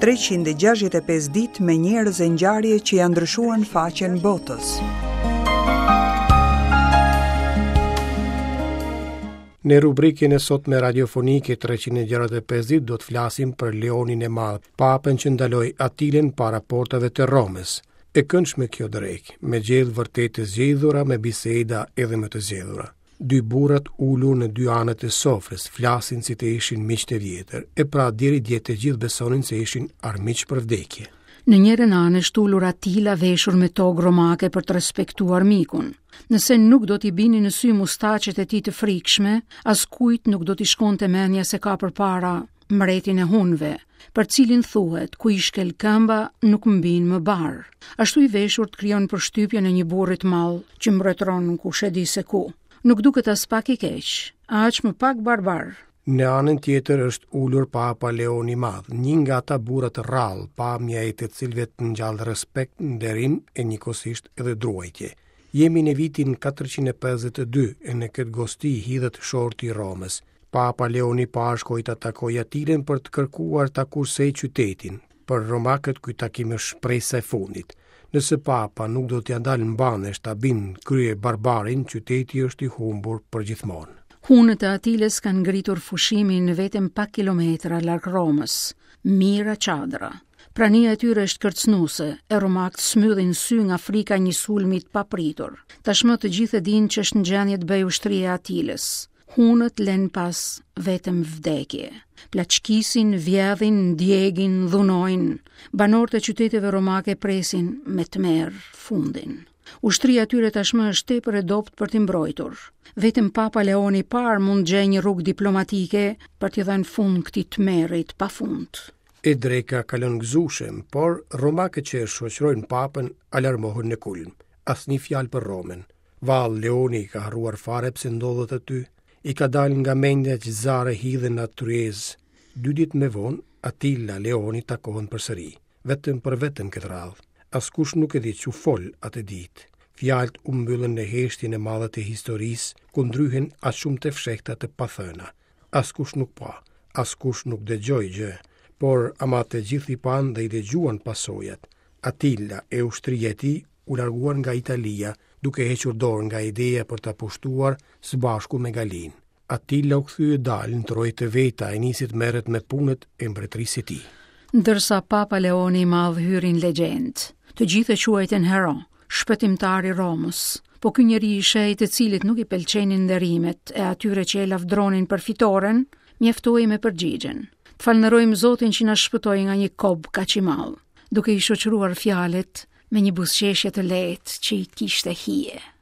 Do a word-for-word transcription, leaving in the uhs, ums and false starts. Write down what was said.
treqind e gjashtëdhjetë e pesë ditë me njerëz e ngjarje që janë ndryshuar në faqen botës. Në rubrikën e sotme radiofonike treqind e gjashtëdhjetë e pesë ditë do të flasim për Leonin e Madh, papën që ndaloi Atilën para portave të Romës. E këndshme kjo drekë, me gjellë vërtet të zgjedhura, me biseda edhe më të zgjedhura. Dy burrat ulur në dy anët e sofrës, flasin si të ishin miq të vjetër, e pra deri dje të gjithë besonin se ishin armiq për vdekje. Në njërën anë është ulur Atila veshur me togë romake për të respektuar mikun. Nëse nuk do t'i binin në sy mustaqet e tij të frikshme, askujt nuk do t'i shkonte mendja se ka përpara mbretin e hunëve, për cilin thuhet ku i shkel këmba nuk mbin më bar. Ashtu i veshur të krijon përshtypjen e një burri të madh që mbretëron kush e di se ku. Nuk duket as pak i keq, aq më pak barbar. Në anën tjetër është ulur Papa Leoni i Madh, një nga ata burra të rrallë, pamja e të cilëve të ngjall respekt, nderim e njëkohësisht edhe druajtje. Jemi në vitin katërqind e pesëdhjetë e dy e në këtë gosti hidhet shorti i Romës. Papa Leoni i parë shkoi ta takojë Atilën për të kërkuar ta kursej qytetin. Për romakët ky takim është shpresa e fundit. Nëse Papa nuk do t'ia dalë mbanesh ta bind krye barbarin, qyteti është i humbur përgjithmonë. Hunët e Atilës kanë ngritur fushimin vetëm pak kilometra larg Romës, mira çadra. Prania e tyre është kërcënuese, e romakët smyllin sy nga frika e një sulmi të papritur. Tashmë të gjithë e dinë që është në gjendje të bëjë ushtria e Atilës. Hunët lënë pas vetëm vdekje. Plaçkisin, vjedhin, djegin, dhunojnë. Banorët e qyteteve romake presin me tmerr fundin. Ushtria e tyre tashmë është tepër e dobët për t'i mbrojtur. Vetëm Papa Leoni i parë mund të gjejë një rrugë diplomatike për t'i dhënë fund këtij tmerri të pafund. E dreka kalon gëzueshëm, por romakët që e shoqërojnë papën alarmohen në kulm. Asnjë fjalë për Romën. Vallë Leoni ka harruar fare pse ndodhet aty. I ka dalë nga mendja që zare hidhen në atë tryezë. Dy ditë më vonë, Atila Leoni takohen përsëri, vetëm për vetëm këtë radhë. Askush nuk e di ç'u fol atë ditë. Fjalët u mbyllën në heshtjen e madhe të historisë, ku ndryhen aq shumë të fshehta të pathëna. Askush nuk pa, askush nuk dëgjoi gjë, por ama të gjithë i panë dhe i dëgjuan pasojat. Atila e ushtria e tij u larguan nga Italia, duke hequr dorë nga ideja për ta pushtuar së bashku me Galin. Atila u kthye dalë në trojet e veta e nisi të merret me punët e mbretërisë së tij. Ndërsa Papa Leoni i Madh hyri në legjendë, të gjithë e quajtën hero, shpëtimtar i Romës, po ky njeri i shenjtë të cilit nuk i pëlqenin nderimet e atyre që e lavdronin për fitoren, mjaftoi me përgjigjen. Të falënderojmë Zotin që na shpëtoi nga një kob kaq i madh, duke i shoqëruar fjalët me një buzëqeshje të lehtë që i kishte hije.